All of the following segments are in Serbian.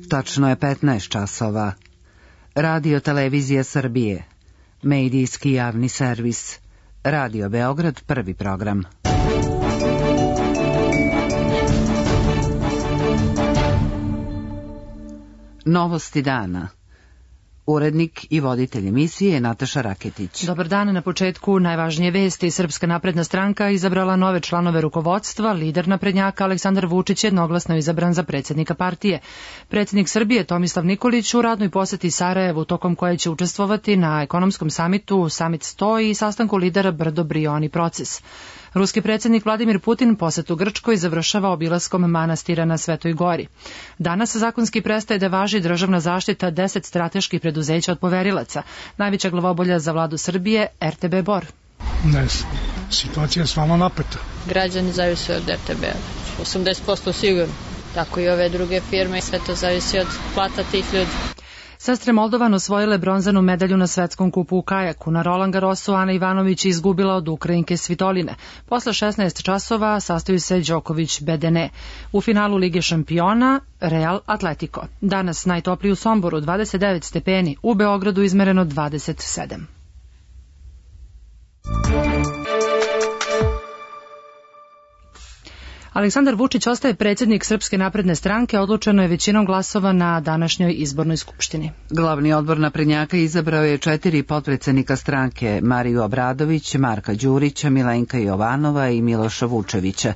Tačno je 15 časova. Radio Televizija Srbije. Medijski javni servis. Radio Beograd, prvi program. Novosti dana. Urednik i voditelj emisije je Nataša Raketić. Dobar dan, na početku najvažnije vesti. Srpska napredna stranka izabrala nove članove rukovodstva. Lider naprednjaka Aleksandar Vučić je jednoglasno izabran za predsjednika partije. Predsjednik Srbije Tomislav Nikolić u radnoj poseti Sarajevu, tokom koje će učestvovati na ekonomskom samitu Summit 100 i sastanku lidera Brdo-Brioni proces. Ruski predsjednik Vladimir Putin posetu Grčkoj završava obilaskom manastira na Svetoj Gori. Danas zakonski prestaje da važi državna zaštita 10 strateških preduzeća od poverilaca. Najveća glavobolja za vladu Srbije, RTB Bor. Ne, situacija je stvarno napeta. Građani zavise od RTB-a, 80% sigurno. Tako i ove druge firme, sve to zavisi od plata tih ljudi. Sestre Moldovan osvojile bronzanu medalju na svetskom kupu u kajaku. Na Roland Garrosu Ana Ivanović izgubila od Ukrajinke Svitoline. Posle 16 časova sastaju se Đoković-Bedene. U finalu Lige šampiona Real Atletico. Danas najtopliji u Somboru 29 stepeni, u Beogradu izmereno 27. Aleksandar Vučić ostaje predsjednik Srpske napredne stranke, odlučeno je većinom glasova na današnjoj izbornoj skupštini. Glavni odbor naprednjaka izabrao je 4 potpredsjednika stranke: Mariju Obradović, Marka Đurića, Milenka Jovanova i Miloša Vučevića.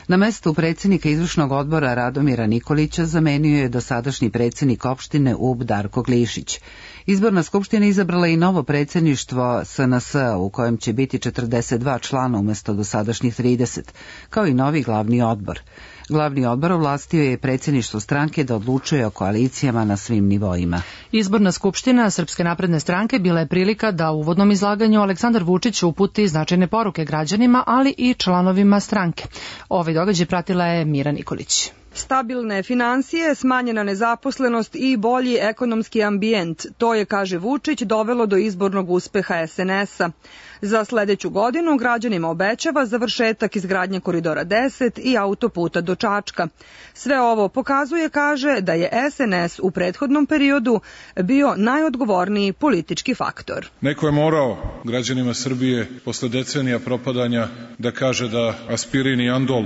Na mestu predsjednika izvršnog odbora Radomira Nikolića zamenio je dosadašnji predsjednik opštine Ub Darko Glišić. Izborna skupština izabrala i novo predsjedništvo SNS, u kojem će biti 42 člana umjesto dosadašnjih 30, kao i novi glavni odbor. Glavni odbor ovlastio je predsjedništvo stranke da odlučuje o koalicijama na svim nivoima. Izborna skupština Srpske napredne stranke bila je prilika da u uvodnom izlaganju Aleksandar Vučić uputi značajne poruke građanima, ali i članovima stranke. Ovaj događaj pratila je Mira Nikolić. Stabilne financije, smanjena nezaposlenost i bolji ekonomski ambijent, to je, kaže Vučić, dovelo do izbornog uspeha SNS-a. Za sledeću godinu građanima obećava završetak izgradnje Koridora 10 i autoputa do Čačka. Sve ovo pokazuje, kaže, da je SNS u prethodnom periodu bio najodgovorniji politički faktor. Neko je morao građanima Srbije posle decenija propadanja da kaže da aspirin i andol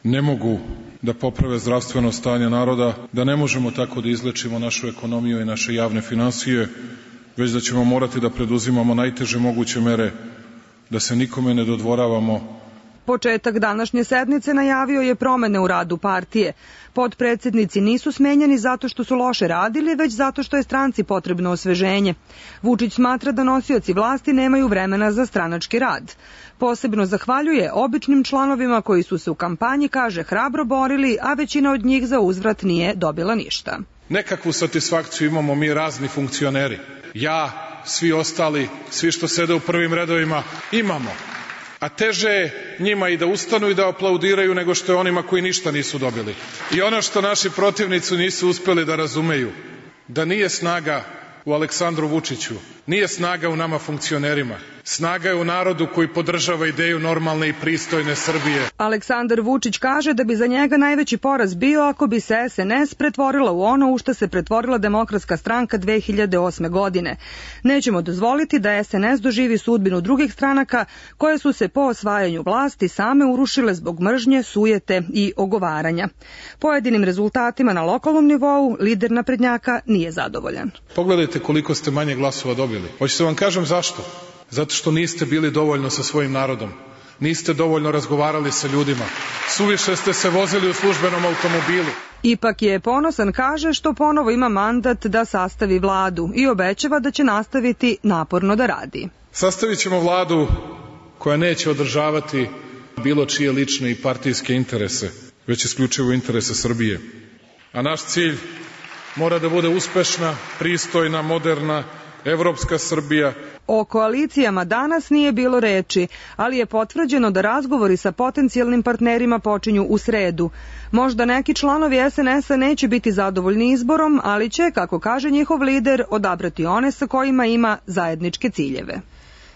ne mogu da poprave zdravstveno stanje naroda, da ne možemo tako da izlečimo našu ekonomiju i naše javne finansije, već da ćemo morati da preduzimamo najteže moguće mere, da se nikome ne dodvoravamo. Početak današnje sednice najavio je promene u radu partije. Potpredsjednici nisu smenjeni zato što su loše radili, već zato što je stranci potrebno osveženje. Vučić smatra da nosioci vlasti nemaju vremena za stranački rad. Posebno zahvaljuje običnim članovima koji su se u kampanji, kaže, hrabro borili, a većina od njih za uzvrat nije dobila ništa. Nekakvu satisfakciju imamo mi razni funkcioneri. Ja, svi ostali, svi što sede u prvim redovima, imamo. A teže je njima i da ustanu i da aplaudiraju nego što je onima koji ništa nisu dobili. I ono što naši protivnici nisu uspeli da razumeju, da nije snaga u Aleksandru Vučiću, nije snaga u nama funkcionerima. Snaga je u narodu koji podržava ideju normalne i pristojne Srbije. Aleksandar Vučić kaže da bi za njega najveći poraz bio ako bi se SNS pretvorila u ono u što se pretvorila Demokratska stranka 2008. godine. Nećemo dozvoliti da SNS doživi sudbinu drugih stranaka koje su se po osvajanju vlasti same urušile zbog mržnje, sujete i ogovaranja. Pojedinim rezultatima na lokalnom nivou lider naprednjaka nije zadovoljan. Pogledajte koliko ste manje glasova dobili. Hoćete vam kažem zašto? Zato što niste bili dovoljno sa svojim narodom. Niste dovoljno razgovarali sa ljudima. Suviše ste se vozili u službenom automobilu. Ipak je ponosan, kaže, što ponovo ima mandat da sastavi vladu i obećava da će nastaviti naporno da radi. Sastavit ćemo vladu koja neće održavati bilo čije lične i partijske interese, već isključivo interese Srbije. A naš cilj mora da bude uspešna, pristojna, moderna, evropska Srbija. O koalicijama danas nije bilo reči, ali je potvrđeno da razgovori sa potencijalnim partnerima počinju u sredu. Možda neki članovi SNS-a neće biti zadovoljni izborom, ali će, kako kaže njihov lider, odabrati one sa kojima ima zajedničke ciljeve.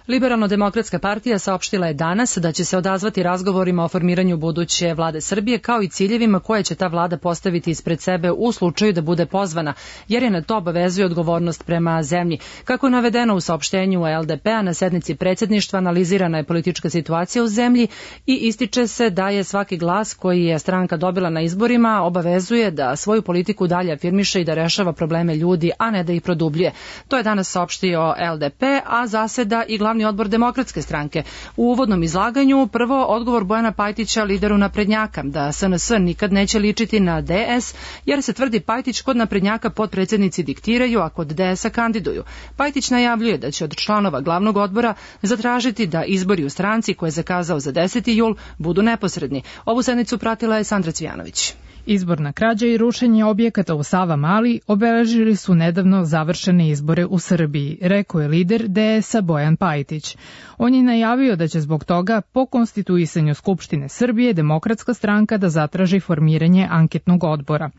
Liberalno-demokratska partija saopštila je danas da će se odazvati razgovorima o formiranju buduće vlade Srbije, kao i ciljevima koje će ta vlada postaviti ispred sebe u slučaju da bude pozvana, jer je na to obavezuje odgovornost prema zemlji. Kako je navedeno u saopštenju LDP-a, na sednici predsjedništva analizirana je politička situacija u zemlji i ističe se da je svaki glas koji je stranka dobila na izborima obavezuje da svoju politiku dalje afirmiše i da rešava probleme ljudi, a ne da ih produbljuje. To je danas saopštio LDP, a zaseda i glavni odbor Demokratske stranke. U uvodnom izlaganju prvo odgovor Bojana Pajtića, lideru naprednjaka, da SNS nikad neće ličiti na DS, jer se tvrdi Pajtić kod naprednjaka potpredsjednici diktiraju, a kod DS-a kandiduju. Pajtić najavljuje da će od članova glavnog odbora zatražiti da izbori u stranci koje je zakazao za 10. jul budu neposredni. Ovu sednicu pratila je Sandra Cvijanović. Izborna krađa i rušenje objekata u Savamali obeležili su nedavno završene izbore u Srbiji, rekao je lider DS-a Bojan Pajtić. On je najavio da će zbog toga po konstituisanju Skupštine Srbije Demokratska stranka da zatraži formiranje anketnog odbora.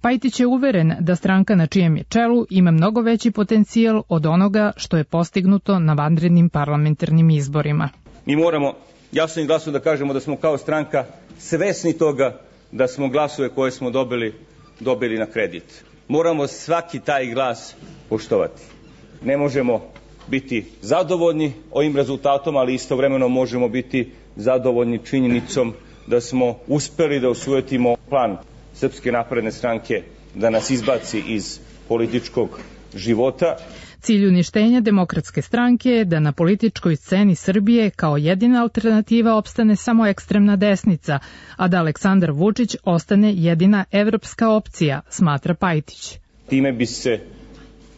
Pajtić je uveren da stranka na čijem je čelu ima mnogo veći potencijal od onoga što je postignuto na vanrednim parlamentarnim izborima. Mi moramo jasno i glasno da kažemo da smo kao stranka svesni toga da smo glasove koje smo dobili na kredit. Moramo svaki taj glas poštovati. Ne možemo biti zadovoljni ovim rezultatom, ali istovremeno možemo biti zadovoljni činjenicom da smo uspeli da osujetimo plan Srpske napredne stranke da nas izbaci iz političkog života. Cilj uništenja Demokratske stranke je da na političkoj sceni Srbije kao jedina alternativa opstane samo ekstremna desnica, a da Aleksandar Vučić ostane jedina evropska opcija, smatra Pajtić. Time bi se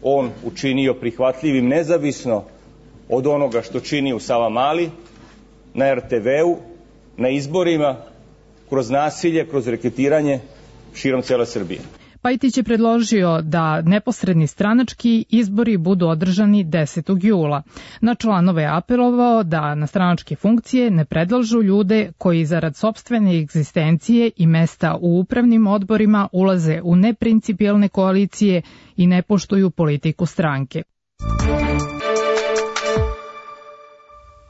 on učinio prihvatljivim nezavisno od onoga što čini u Savamali, na RTV-u, na izborima, kroz nasilje, kroz reketiranje širom cele Srbije. Pajtić je predložio da neposredni stranački izbori budu održani 10. jula. Na članove je apelovao da na stranačke funkcije ne predlažu ljude koji zarad sopstvene egzistencije i mesta u upravnim odborima ulaze u neprincipijelne koalicije i ne poštuju politiku stranke.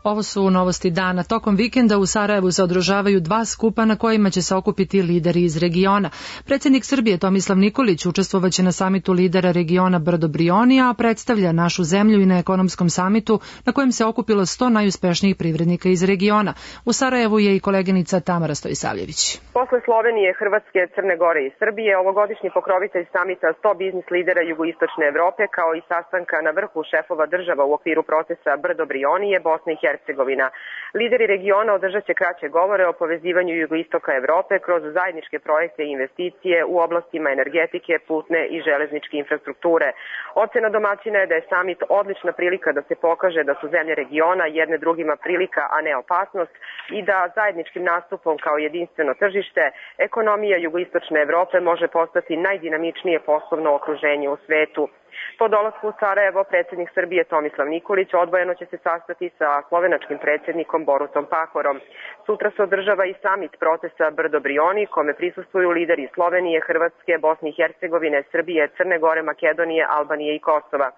Ovo su novosti dana. Tokom vikenda u Sarajevu se održavaju 2 skupa na kojima će se okupiti lideri iz regiona. Predsjednik Srbije Tomislav Nikolić učestvovaće na samitu lidera regiona Brdo-Brioni, a predstavlja našu zemlju i na ekonomskom samitu na kojem se okupilo 100 najuspešnijih privrednika iz regiona. U Sarajevu je i koleginica Tamara Stojisavljević. Posle Slovenije, Hrvatske, Crne Gore i Srbije, ovogodišnji pokrovitelj samita 100 biznis lidera jugoistočne Evrope, kao i sastanka na vrhu šefova država u okviru procesa Brdo-Brioni je Bosna i Hercegovina. Lideri regiona održat će kraće govore o povezivanju jugoistoka Evrope kroz zajedničke projekte i investicije u oblastima energetike, putne i železničke infrastrukture. Ocena domaćina je da je samit odlična prilika da se pokaže da su zemlje regiona jedne drugima prilika, a ne opasnost, i da zajedničkim nastupom kao jedinstveno tržište ekonomija jugoistočne Evrope može postati najdinamičnije poslovno okruženje u svetu. Po dolasku u Sarajevo, predsjednik Srbije Tomislav Nikolić odvojeno će se sastati sa slovenačkim predsjednikom Borutom Pahorom. Sutra se održava i samit procesa Brdo-Brioni, kome prisustvuju lideri Slovenije, Hrvatske, Bosne i Hercegovine, Srbije, Crne Gore, Makedonije, Albanije i Kosova.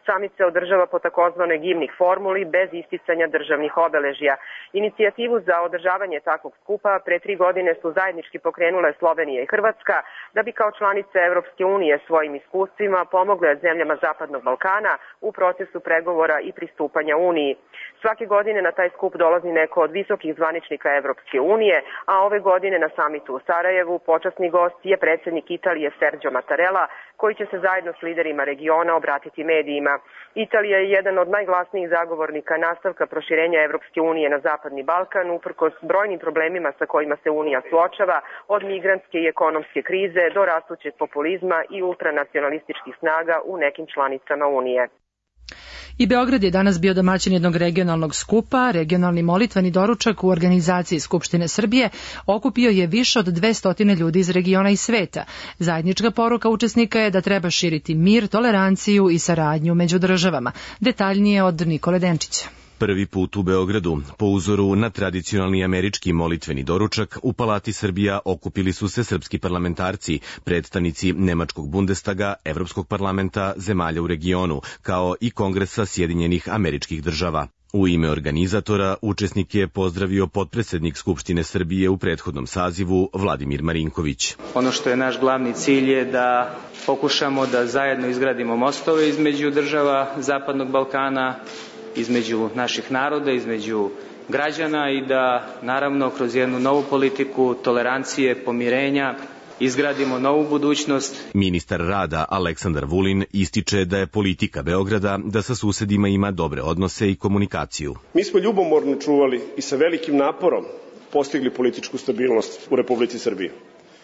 Samit se održava po takozvanoj gimnih formuli bez isticanja državnih obeležja. Inicijativu za održavanje takvog skupa pre 3 godine su zajednički pokrenule Slovenija i Hrvatska, da bi kao članice Evropske unije svojim iskustvima pomogle zemljama Zapadnog Balkana u procesu pregovora i pristupanja Uniji. Svake godine na taj skup dolazi neko od visokih zvaničnika Evropske unije, a ove godine na samitu u Sarajevu počasni gost je predsjednik Italije Sergio Mattarella, koji će se zajedno s liderima regiona obratiti medijima. Italija je jedan od najglasnijih zagovornika nastavka proširenja Evropske unije na Zapadni Balkan, uprkos brojnim problemima sa kojima se Unija suočava, od migrantske i ekonomske krize do rastućeg populizma i ultranacionalističkih snaga u nekim članicama Unije. I Beograd je danas bio domaćin jednog regionalnog skupa. Regionalni molitveni doručak u organizaciji Skupštine Srbije okupio je više od 200 ljudi iz regiona i sveta. Zajednička poruka učesnika je da treba širiti mir, toleranciju i saradnju među državama. Detaljnije od Nikole Denčića. Prvi put u Beogradu, po uzoru na tradicionalni američki molitveni doručak, u Palati Srbija okupili su se srpski parlamentarci, predstavnici Nemačkog Bundestaga, Evropskog parlamenta, zemalja u regionu, kao i Kongresa Sjedinjenih Američkih Država. U ime organizatora učesnike je pozdravio potpredsednik Skupštine Srbije u prethodnom sazivu Vladimir Marinković. Ono što je naš glavni cilj je da pokušamo da zajedno izgradimo mostove između država Zapadnog Balkana, između naših naroda, između građana i da naravno kroz jednu novu politiku tolerancije, pomirenja izgradimo novu budućnost. Ministar rada Aleksandar Vulin ističe da je politika Beograda da sa susedima ima dobre odnose i komunikaciju. Mi smo ljubomorno čuvali i sa velikim naporom postigli političku stabilnost u Republici Srbiji.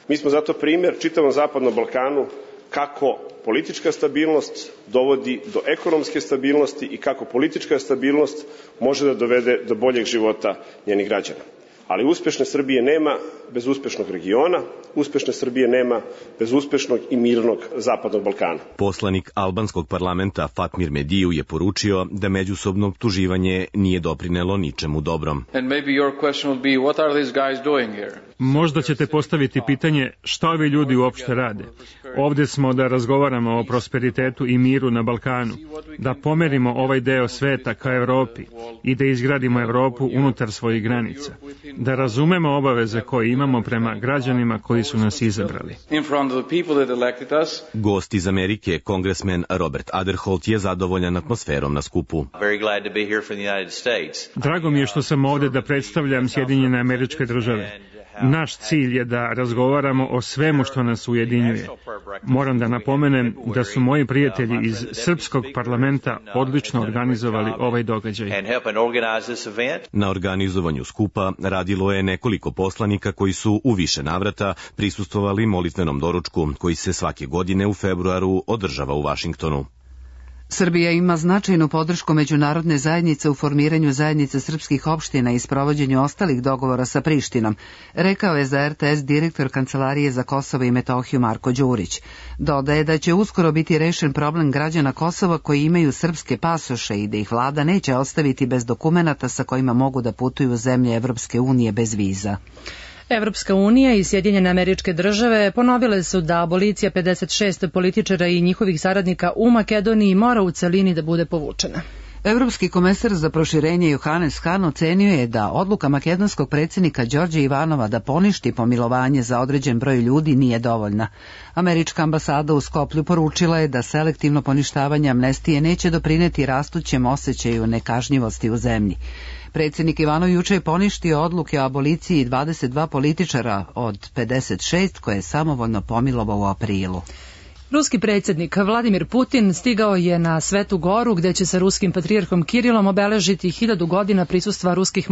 Mi smo zato primjer čitavom Zapadnom Balkanu kako politička stabilnost dovodi do ekonomske stabilnosti i kako politička stabilnost može da dovede do boljeg života njenih građana. Ali uspešne Srbije nema bez uspešnog regiona, uspešne Srbije nema bez uspešnog i mirnog Zapadnog Balkana. Poslanik albanskog parlamenta Fatmir Mediju je poručio da međusobno optuživanje nije doprinelo ničemu dobrom. Možda ćete postaviti pitanje šta ovi ljudi uopšte rade. Ovde smo da razgovaramo o prosperitetu i miru na Balkanu, da pomerimo ovaj deo sveta ka Evropi i da izgradimo Evropu unutar svojih granica, da razumemo obaveze koje imamo prema građanima koji su nas izabrali. Gost iz Amerike, kongresmen Robert Aderholt, je zadovoljan atmosferom na skupu. Drago mi je što sam ovde da predstavljam Sjedinjene Američke Države. Naš cilj je da razgovaramo o svemu što nas ujedinjuje. Moram da napomenem da su moji prijatelji iz Srpskog parlamenta odlično organizovali ovaj događaj. Na organizovanju skupa radilo je nekoliko poslanika koji su u više navrata prisustvovali molitvenom doručku koji se svake godine u februaru održava u Vašingtonu. Srbija ima značajnu podršku međunarodne zajednice u formiranju zajednice srpskih opština i sprovođenju ostalih dogovora sa Prištinom, rekao je za RTS direktor Kancelarije za Kosovo i Metohiju Marko Đurić. Dodaje da će uskoro biti rešen problem građana Kosova koji imaju srpske pasoše i da ih vlada neće ostaviti bez dokumenata sa kojima mogu da putuju u zemlje Evropske unije bez viza. Evropska unija i Sjedinjene Američke Države ponovile su da abolicija 56 političara i njihovih saradnika u Makedoniji mora u celini da bude povučena. Evropski komesar za proširenje Johannes Hahn ocenio je da odluka makedonskog predsjednika Đorđa Ivanova da poništi pomilovanje za određen broj ljudi nije dovoljna. Američka ambasada u Skoplju poručila je da selektivno poništavanje amnestije neće doprineti rastućem osjećaju nekažnjivosti u zemlji. Predsjednik Ivanov juče je poništio odluke o aboliciji 22 političara od 56 koje je samovoljno pomilovao u aprilu. Ruski predsjednik Vladimir Putin stigao je na Svetu Goru gde će sa ruskim patrijarhom Kirilom obeležiti 1000 godina prisustva ruskih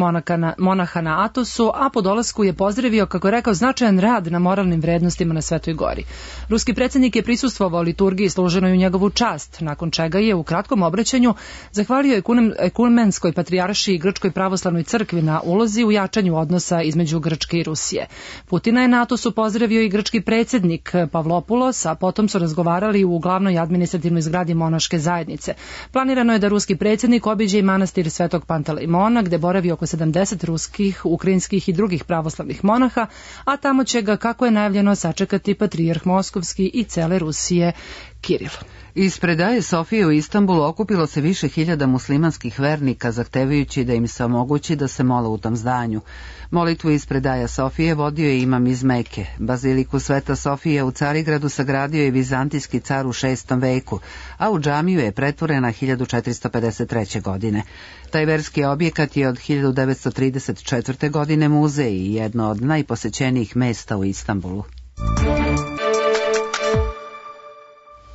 monaha na Atosu, a po dolasku je pozdravio, kako je rekao, značajan rad na moralnim vrednostima na Svetoj Gori. Ruski predsjednik je prisustvovao liturgiji služenoj u njegovu čast, nakon čega je u kratkom obraćanju zahvalio ekumenskoj patrijaršiji i Grčkoj pravoslavnoj crkvi na ulozi u jačanju odnosa između Grčke i Rusije. Putina je na Atosu pozdravio i grčki predsjednik Pavlopoulos, a potom su razgovarali u glavnoj administrativnoj zgradi monaške zajednice. Planirano je da ruski predsjednik obiđe i manastir Svetog Pantelejmona, gde boravi oko 70 ruskih, ukrajinskih i drugih pravoslavnih monaha, a tamo će ga, kako je najavljeno, sačekati patrijarh Moskovski i cele Rusije Kiril. Ispred Aje Sofije u Istanbulu okupilo se više hiljada muslimanskih vernika zahtevajući da im se omogući da se mole u tom zdanju. Molitvu ispred Aja Sofije vodio je imam iz Meke. Baziliku Sveta Sofije u Carigradu sagradio je vizantijski car u 6. veku, a u džamiju je pretvorena 1453. godine. Taj verski objekat je od 1934. godine muzej i jedno od najposećenijih mesta u Istanbulu.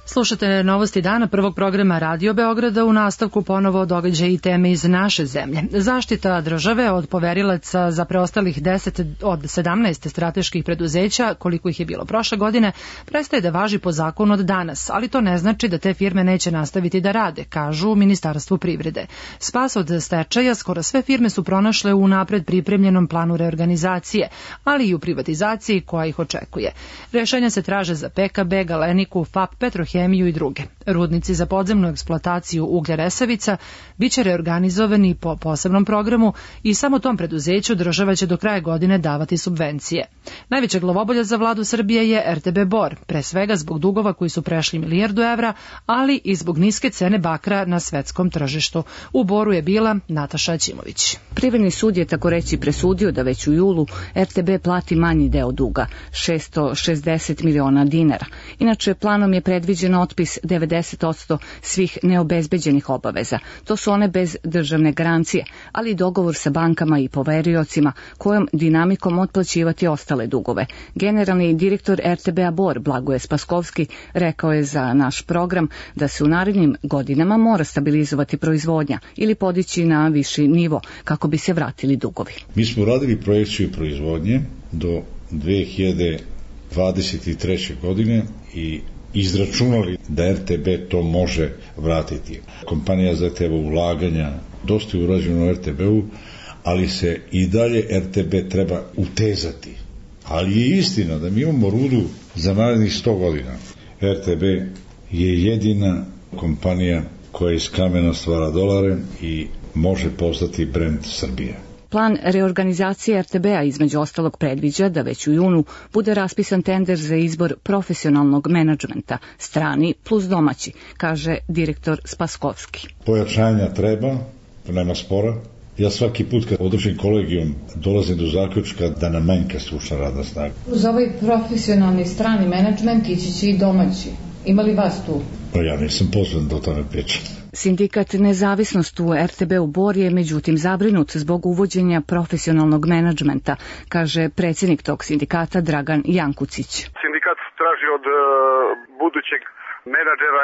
Slušate novosti dana prvog programa Radio Beograda, u nastavku ponovo događaje i teme iz naše zemlje. Zaštita države od poverilaca za preostalih 10 od 17 strateških preduzeća, koliko ih je bilo prošle godine, prestaje da važi po zakonu od danas, ali to ne znači da te firme neće nastaviti da rade, kažu u Ministarstvu privrede. Spas od stečaja skoro sve firme su pronašle u napred pripremljenom planu reorganizacije, ali i u privatizaciji koja ih očekuje. Rešenja se traže za PKB, Galeniku, FAP, Petrohemiju Petrohemiju i druge. Rudnici za podzemnu eksploataciju uglja Resavica biće reorganizovani po posebnom programu i samo tom preduzeću država će do kraja godine davati subvencije. Najveća glavobolja za vladu Srbije je RTB Bor, pre svega zbog dugova koji su prešli 1 milijardu evra, ali i zbog niske cene bakra na svetskom tržištu. U Boru je bila Nataša Aćimović. Privredni sud je tako reći presudio da već u julu RTB plati manji deo duga, 660 miliona dinara. Inače, planom je predviđen otpis 90% svih neobezbeđenih obaveza. To su one bez državne garancije, ali i dogovor sa bankama i poveriocima kojom dinamikom otplaćivati ostale dugove. Generalni direktor RTB-a Bor, Blagoje Spaskovski, rekao je za naš program da se u narednim godinama mora stabilizovati proizvodnja ili podići na viši nivo kako bi se vratili dugovi. Mi smo radili projekciju proizvodnje do 2023. godine i izračunali da RTB to može vratiti. Kompanija zahteva ulaganja, dosta je urađeno u RTB-u, ali se i dalje RTB treba utezati. Ali je istina da mi imamo rudu za narednih 100 godina. RTB je jedina kompanija koja iz kamena stvara dolare i može postati brend Srbije. Plan reorganizacije RTB-a između ostalog predviđa da već u junu bude raspisan tender za izbor profesionalnog menadžmenta, strani plus domaći, kaže direktor Spaskovski. Pojačanja treba, nema spora. Ja svaki put kad održim kolegijum dolazim do zaključka da nam manjka stručna radna snaga. Uz ovaj profesionalni strani menadžment ići će i domaći. Ima li vas tu? Pa ja nisam pozvan da o tome pričam. Sindikat Nezavisnost u RTB-u Bor je međutim zabrinut zbog uvođenja profesionalnog menadžmenta, kaže predsjednik tog sindikata Dragan Jankucić. Sindikat traži od budućeg menadžera,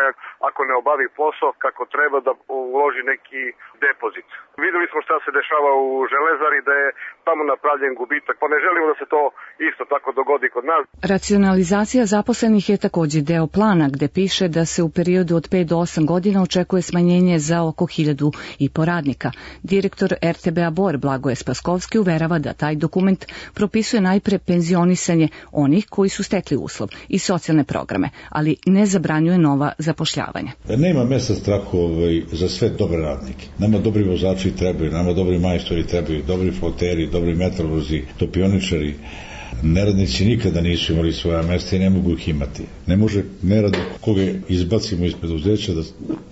ako ne obavi posao kako treba, da uloži neki depozit. Videli smo šta se dešava u Železari, da je tamo napravljen gubitak, pa ne želimo da se to isto tako dogodi kod nas. Racionalizacija zaposlenih je također deo plana gde piše da se u periodu od 5 do 8 godina očekuje smanjenje za oko 1.500 radnika. Direktor RTB-a Bor Blagoje Spaskovski uverava da taj dokument propisuje najpre penzionisanje onih koji su stekli uslov i socijalne programe, ali ne zabranjuje nova zapošljavanja. Nema mesta strahu za sve dobre radnike. Nama dobri vozači trebaju, nama dobri majstori trebaju, dobri floteri, dobri metalurzi, topioničari. Neradnici nikada nisu imali svoja mesta i ne mogu ih imati. Ne može neradnik koga izbacimo iz preduzeća da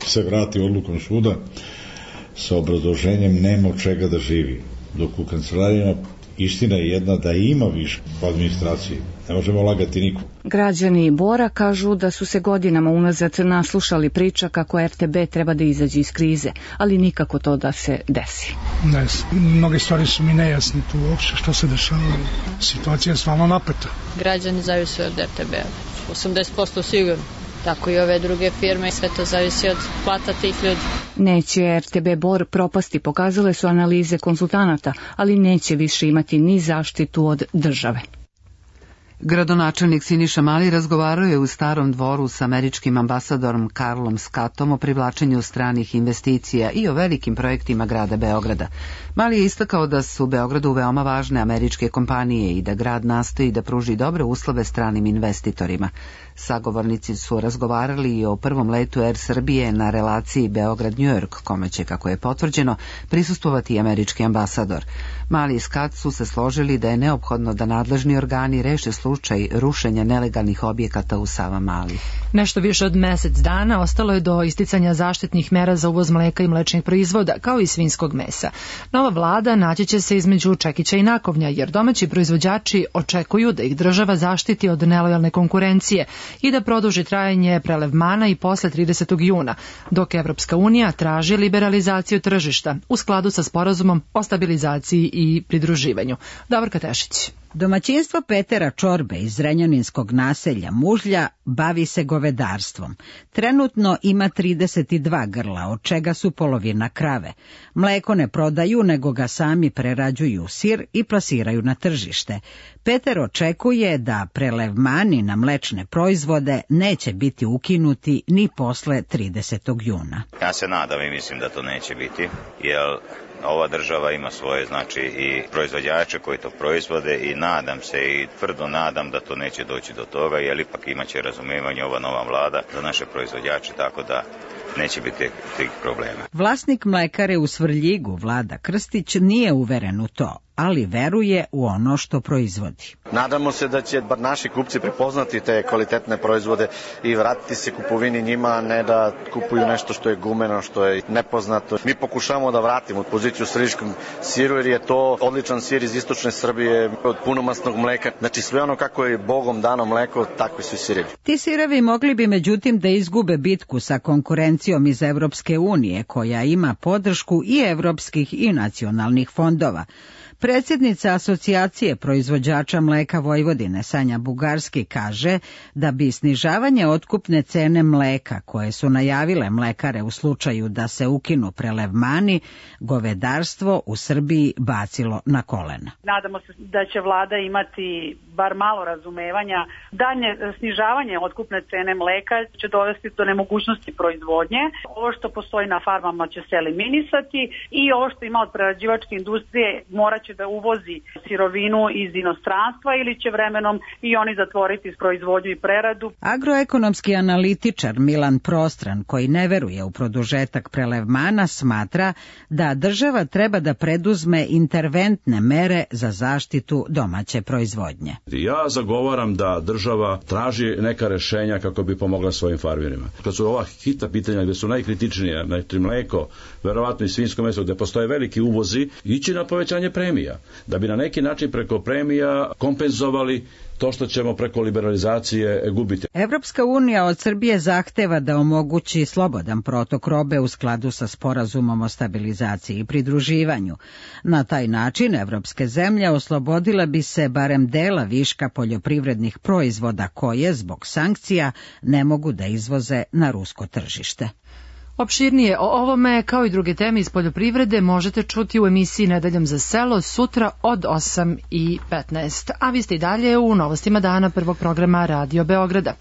se vrati odlukom suda sa obrazloženjem nema od čega da živi. Dok u kancelarijama istina je jedna da ima više u administraciji. Ne možemo lagati nikom. Građani Bora kažu da su se godinama unazad naslušali priča kako RTB treba da izađe iz krize, ali nikako to da se desi. Ne, mnoge stvari su mi nejasne tu uopšte što se dešava. Situacija je stvarno napeta. Građani zavise od RTB-a. 80% sigurno. Tako i ove druge firme, sve to zavisi od plata tih ljudi. Neće RTB Bor propasti, pokazale su analize konsultanata, ali neće više imati ni zaštitu od države. Gradonačelnik Siniša Mali razgovarao je u Starom dvoru s američkim ambasadorom Karlom Scottom o privlačenju stranih investicija i o velikim projektima grada Beograda. Mali je istakao da su Beogradu veoma važne američke kompanije i da grad nastoji da pruži dobre uslove stranim investitorima. Sagovornici su razgovarali i o prvom letu Air Srbije na relaciji Beograd-New York, kome će, kako je potvrđeno, prisustvovati američki ambasador. Mali i Scott su se složili da je neophodno da nadležni organi reše slučaj rušenja nelegalnih objekata u Savamali. Nešto više od mesec dana ostalo je do isticanja zaštitnih mera za uvoz mleka i mlečnih proizvoda, kao i svinjskog mesa. Nova vlada naći će se između čekića i nakovnja, jer domaći proizvođači očekuju da ih država zaštiti od nelojalne konkurencije i da produži trajanje prelevmana i posle 30. juna, dok Evropska unija traži liberalizaciju tržišta u skladu sa sporazumom o stabilizaciji i pridruživanju. Davorka Tešić. Domaćinstvo Petera Čorbe iz Zrenjaninskog naselja Mužlja bavi se govedarstvom. Trenutno ima 32 grla, od čega su polovina krave. Mleko ne prodaju, nego ga sami prerađuju u sir i plasiraju na tržište. Peter očekuje da prelevmani na mlečne proizvode neće biti ukinuti ni posle 30. juna. Ja se nadam i mislim da to neće biti, jer ova država ima svoje, znači, i proizvođače koji to proizvode i nadam se i tvrdo nadam da to neće doći do toga, jer ipak imaće razumijevanje ova nova vlada za naše proizvođače, tako da neće biti tih problema. Vlasnik mlekare u Svrljigu, Vlada Krstić, nije uveren u to, ali veruje u ono što proizvodi. Nadamo se da će bar naši kupci prepoznati te kvalitetne proizvode i vratiti se kupovini njima, a ne da kupuju nešto što je gumeno, što je nepoznato. Mi pokušavamo da vratimo poziciju svrljiškog siru, jer je to odličan sir iz istočne Srbije od punomasnog mleka. Znači sve ono kako je Bogom dano mleko, takvi su sirevi. Ti sirevi mogli bi međutim da izgube bitku sa konkurencijom iz Evropske unije, koja ima podršku i evropskih i nacionalnih fondova. Predsjednica Asocijacije proizvođača mleka Vojvodine, Sanja Bugarski, kaže da bi snižavanje otkupne cene mleka, koje su najavile mlekare u slučaju da se ukinu prelevmani, govedarstvo u Srbiji bacilo na kolena. Nadamo se da će vlada imati bar malo razumevanja. Dalje snižavanje otkupne cene mleka će dovesti do nemogućnosti proizvodnje. Ovo što postoji na farmama će se eliminisati i ovo što ima od prerađivačke industrije morat će da uvozi sirovinu iz inostranstva ili će vremenom i oni zatvoriti proizvodnju i preradu. Agroekonomski analitičar Milan Prostran, koji ne veruje u produžetak prelevmana, smatra da država treba da preduzme interventne mere za zaštitu domaće proizvodnje. Ja zagovaram da država traži neka rešenja kako bi pomogla svojim farmerima. Kad su ova hitna pitanja gdje su najkritičnije, znači mleko, verovatno i svinjsko meso, gdje postoje veliki uvozi, ići na povećanje premija, da bi na neki način preko premija kompenzovali to što ćemo preko liberalizacije gubiti. Evropska unija od Srbije zahteva da omogući slobodan protok robe u skladu sa sporazumom o stabilizaciji i pridruživanju. Na taj način evropske zemlje oslobodile bi se barem dela viška poljoprivrednih proizvoda koje, zbog sankcija, ne mogu da izvoze na rusko tržište. Opširnije o ovome, kao i druge teme iz poljoprivrede, možete čuti u emisiji Nedeljom za selo sutra od 8:15. A vi ste i dalje u novostima dana prvog programa Radio Beograda.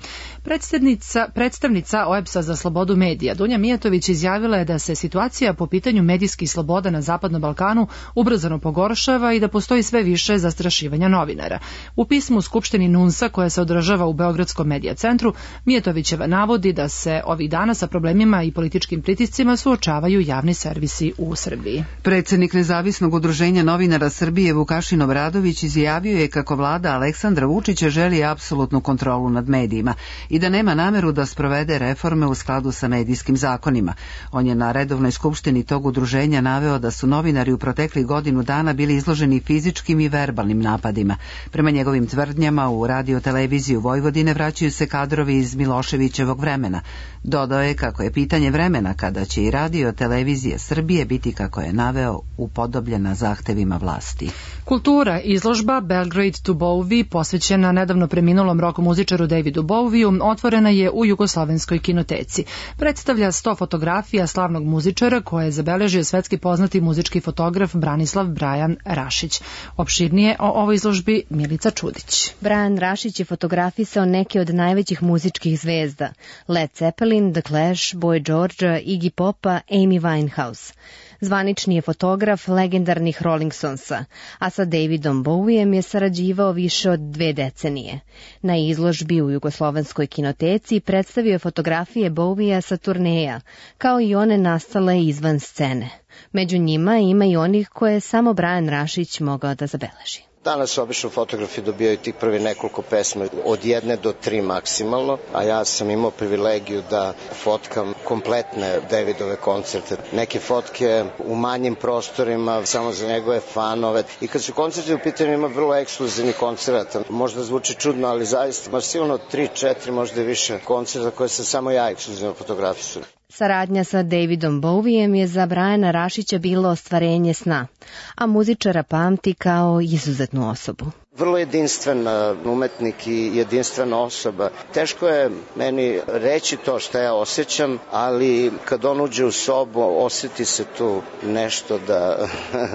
Predstavnica OEBS-a za slobodu medija Dunja Mijatović izjavila je da se situacija po pitanju medijskih sloboda na Zapadnom Balkanu ubrzano pogoršava i da postoji sve više zastrašivanja novinara. U pismu Skupštini NUNS-a koja se održava u Beogradskom medija centru, Mijatovićeva navodi da se ovih dana sa problemima i političkim pritiscima suočavaju javni servisi u Srbiji. Predsjednik Nezavisnog udruženja novinara Srbije Vukašin Obradović izjavio je kako vlada Aleksandra Vučića želi apsolutnu kontrolu nad medijima i da nema nameru da sprovede reforme u skladu sa medijskim zakonima. On je na redovnoj skupštini tog udruženja naveo da su novinari u proteklih godinu dana bili izloženi fizičkim i verbalnim napadima. Prema njegovim tvrdnjama u Radio-televiziju Vojvodine vraćaju se kadrovi iz Miloševićevog vremena. Dodao je kako je pitanje vremena kada će i Radio-televizija Srbije biti, kako je naveo, upodobljena zahtevima vlasti. Kultura, izložba Belgrade to Bowie, posvećena nedavno preminulom rock muzičaru Davidu Bowieu, otvorena je u Jugoslovenskoj kinoteci. Predstavlja 100 fotografija slavnog muzičara koje je zabeležio svetski poznati muzički fotograf Branislav Brajan Rašić. Opširnije o ovoj izložbi Milica Čudić. Brajan Rašić je fotografisao neke od najvećih muzičkih zvezda: Led Zeppelin, The Clash, Boy George, Iggy Popa, Amy Winehouse. Zvanični je fotograf legendarnih Rolling Stonesa, a sa Davidom Bowiem je sarađivao više od 2 decenije. Na izložbi u Jugoslovenskoj kinoteci predstavio je fotografije Bowiea sa turneja, kao i one nastale izvan scene. Među njima ima i onih koje je samo Brajan Rašić mogao da zabeleži. Danas obično fotografi dobijaju tih prvi nekoliko pesma od 1 do 3 maksimalno, a ja sam imao privilegiju da fotkam kompletne Davidove koncerte. Neke fotke u manjim prostorima, samo za njegove fanove. I kad su koncerti u pitanju, ima vrlo ekskluzivni koncerata. Možda zvuči čudno, ali zaista ima sigurno 3-4, možda i više koncerta koje sam samo ja ekskluzivno fotografisao. Saradnja sa Davidom Bowiem je za Brajana Rašića bilo ostvarenje sna, a muzičara pamti kao izuzetnu osobu. Vrlo jedinstven umetnik i jedinstvena osoba. Teško je meni reći to što ja osjećam, ali kad on uđe u sobu, osjeti se tu nešto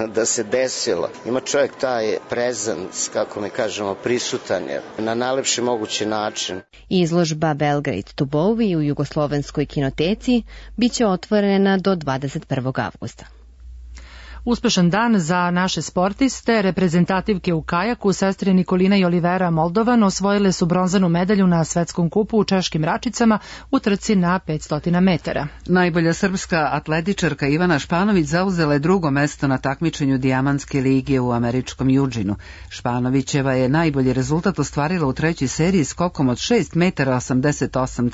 da se desilo. Ima čovjek taj prezens, kako mi kažemo, prisutan je na najlepši mogući način. Izložba Belgrade to Bowie u Jugoslovenskoj kinoteci biće otvorena do 21. avgusta. Uspešan dan za naše sportiste. Reprezentativke u kajaku, sestre Nikolina i Olivera Moldovan, osvojile su bronzanu medalju na svetskom kupu u Češkim Račicama u trci na 500 metara. Najbolja srpska atletičarka Ivana Španović zauzela je drugo mesto na takmičenju Dijamantske lige u američkom Eugenu. Španovićeva je najbolji rezultat ostvarila u trećoj seriji skokom od 6 metara 88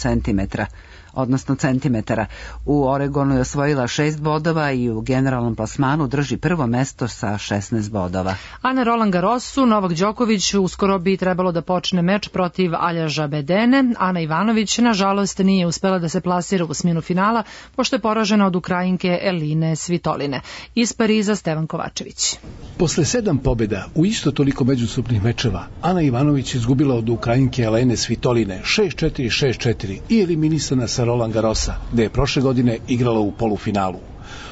centimetara. U Oregonu je osvojila 6 bodova i u generalnom plasmanu drži prvo mesto sa 16 bodova. A na Roland Garrosu Novak Đoković uskoro bi trebalo da počne meč protiv Aljaža Bedene. Ana Ivanović nažalost nije uspela da se plasira u osminu finala pošto je poražena od Ukrajinke Eline Svitoline. Iz Pariza Stevan Kovačević. Posle 7 pobjeda u isto toliko međusobnih mečeva, Ana Ivanović izgubila od Ukrajinke Elene Svitoline 6-4, 6-4 i eliminisana sa Roland Garrosa, gde je prošle godine igrala u polufinalu.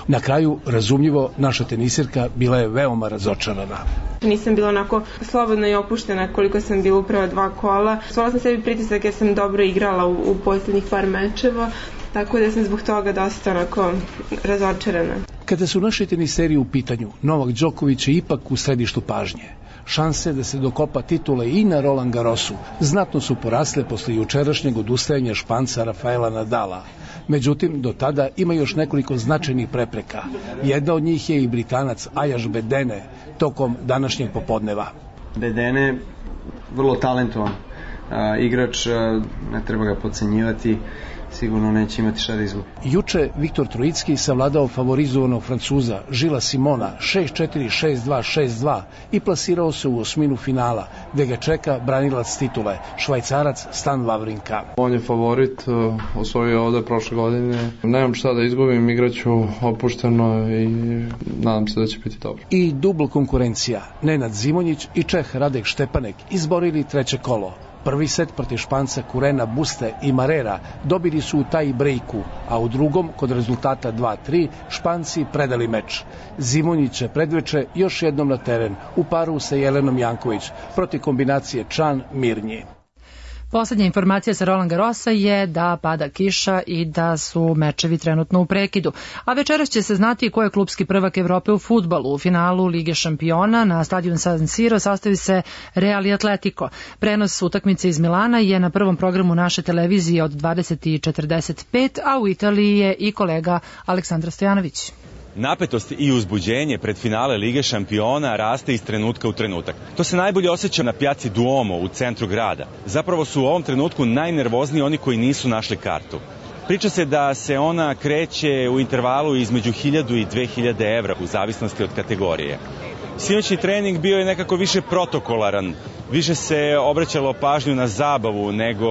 Na kraju, razumljivo, naša tenisirka bila je veoma razočarana. Nisam bila onako slobodna i opuštena koliko sam bila u prva 2 kola. Stvorila sam sebi pritisak jer sam dobro igrala u posljednjih par mečeva, tako da sam zbog toga dosta onako razočarana. Kada su naši teniseri u pitanju, Novak Đoković je ipak u središtu pažnje. Šanse da se dokopa titule i na Roland Garrosu znatno su porasle posle jučerašnjeg odustajanja Španca Rafaela Nadala. Međutim, do tada ima još nekoliko značajnih prepreka. Jedna od njih je i Britanac Aljaž Bedene tokom današnjeg popodneva. Bedene vrlo talentovan igrač, ne treba ga podcenjivati, sigurno neće imati šta da izgubi. Juče Viktor Trojicki savladao favorizovanog Francuza Žila Simona 6-4, 6-2, 6-2 i plasirao se u osminu finala, gde ga čeka branilac titule, Švajcarac Stan Wawrinka. On je favorit, osvojio ovde prošle godine. Nemam šta da izgubim, igraću opušteno i nadam se da će biti dobro. I dubl konkurencija. Nenad Zimonjić i Čeh Radek Štepanek izborili treće kolo. Prvi set protiv Španca Kurena Buste i Marera dobili su u taj brejku, a u drugom, kod rezultata 2-3, Španci predali meč. Zimonjić će predveče još jednom na teren u paru sa Jelenom Janković protiv kombinacije Čan-Mirnji. Poslednja informacija sa Roland Garrosa je da pada kiša i da su mečevi trenutno u prekidu. A večeras će se znati ko je klupski prvak Evrope u fudbalu. U finalu Lige šampiona na stadion San Siro sastavi se Real i Atletico. Prenos utakmice iz Milana je na prvom programu naše televizije od 20:45, a u Italiji je i kolega Aleksandar Stojanović. Napetost i uzbuđenje pred finale Lige šampiona raste iz trenutka u trenutak. To se najbolje osjeća na pjaci Duomo u centru grada. Zapravo su u ovom trenutku najnervozniji oni koji nisu našli kartu. Priča se da se ona kreće u intervalu između 1000 i 2000 evra u zavisnosti od kategorije. Sinoćni trening bio je nekako više protokolaran, više se obraćalo pažnju na zabavu nego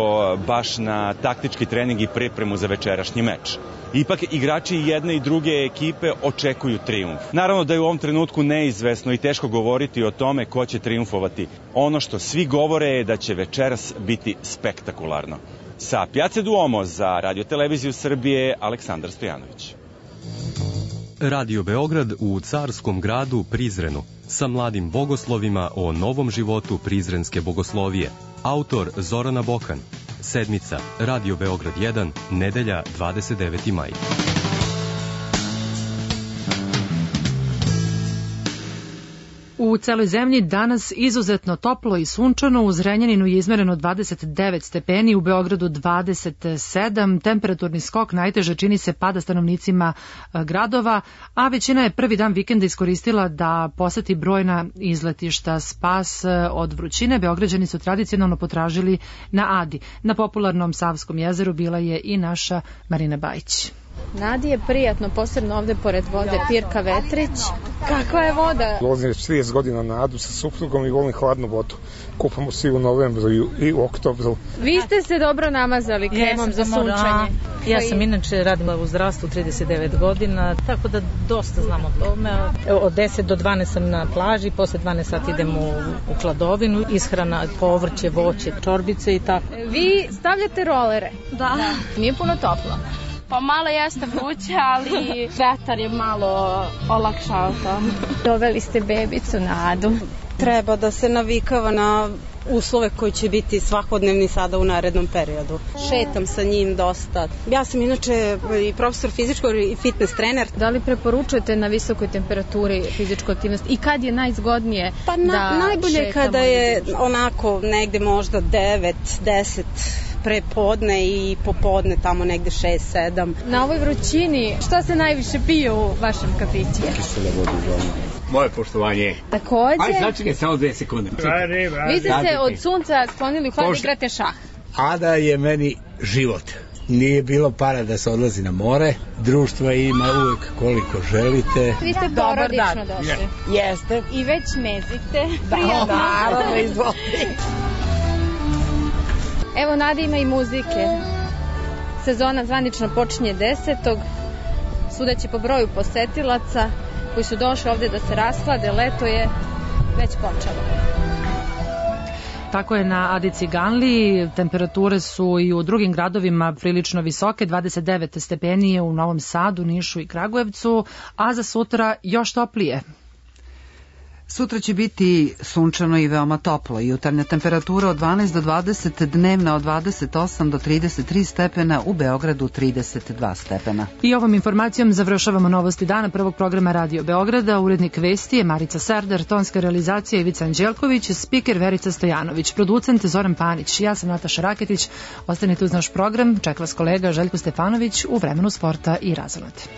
baš na taktički trening i pripremu za večerašnji meč. Ipak igrači jedne i druge ekipe očekuju trijumf. Naravno da je u ovom trenutku neizvesno i teško govoriti o tome ko će trijumfovati. Ono što svi govore je da će večeras biti spektakularno. Sa Pjace Duomo za Radio Televiziju Srbije, Aleksandar Stojanović. Radio Beograd u carskom gradu Prizrenu sa mladim bogoslovima o novom životu prizrenske bogoslovije. Autor Zorana Bokan. Sedmica, Radio Beograd 1, nedelja 29. maj. U celoj zemlji danas izuzetno toplo i sunčano, u Zrenjaninu je izmereno 29 stepeni, u Beogradu 27, temperaturni skok najteže čini se pada stanovnicima gradova, a većina je prvi dan vikenda iskoristila da poseti brojna izletišta. Spas od vrućine Beograđani su tradicionalno potražili na Adi. Na popularnom Savskom jezeru bila je i naša Marina Bajić. Nadi je prijatno, posebno ovde pored vode Pirka Vetrić. Kakva je voda? Vozim 30 godina na Adu sa suprugom i volim hladnu vodu. Kupamo se i u novembru i u oktobru. Vi ste se dobro namazali kremom za sunčanje. Ja sam inače radila u zdravstvu 39 godina, tako da dosta znam o tome. Od 10 do 12 sam na plaži, posle 12 sati idem u hladovinu, ishrana, povrće, voće, čorbice i tako. Vi stavljate rolere? Da. Nije puno toplo. Pa malo jeste vruće, ali vetar je malo olakšao to. Doveli ste bebicu na Adu. Treba da se navikava na uslove koji će biti svakodnevni sada u narednom periodu. Šetam sa njim dosta. Ja sam inače i profesor fizičkog i fitness trener. Da li preporučujete na visokoj temperaturi fizičku aktivnost i kad je najzgodnije da najbolje kada je onako negde možda 9, 10 pre podne i popodne tamo negde 6, 7. Na ovoj vrućini šta se najviše pije u vašem kafiću? Kisela voda uglavnom. Moje poštovanje. Takođe. Ajde, sačekaj samo 2 sekunde. Vi ste se od sunca sklonili u hlad i igrate šah. Ada je meni život. Nije bilo para da se odlazi na more, društva ima uvek koliko želite. Vi ste porodično došli. Jeste. I već mezite. Prijatno. Naravno, izvolite. Evo, Nada, ima i muzike. Sezona zvanično počinje 10. Sudeći po broju posetilaca koji su došli ovde da se rasklade, leto je već počelo. Tako je na Adi Ciganliji, temperature su i u drugim gradovima prilično visoke, 29 stepeni u Novom Sadu, Nišu i Kragujevcu, a za sutra još toplije. Sutra će biti sunčano i veoma toplo. Jutarnja temperatura od 12 do 20, dnevna od 28 do 33 stepena, u Beogradu 32 stepena. I ovom informacijom završavamo novosti dana prvog programa Radio Beograda. Urednik vesti je Marica Serdar, tonska realizacija Ivica Anđelković, spiker Verica Stojanović, producent Zoran Panić. Ja sam Nataša Raketić. Ostanite uz naš program. Čeka vas kolega Željko Stefanović u vremenu sporta i razonati.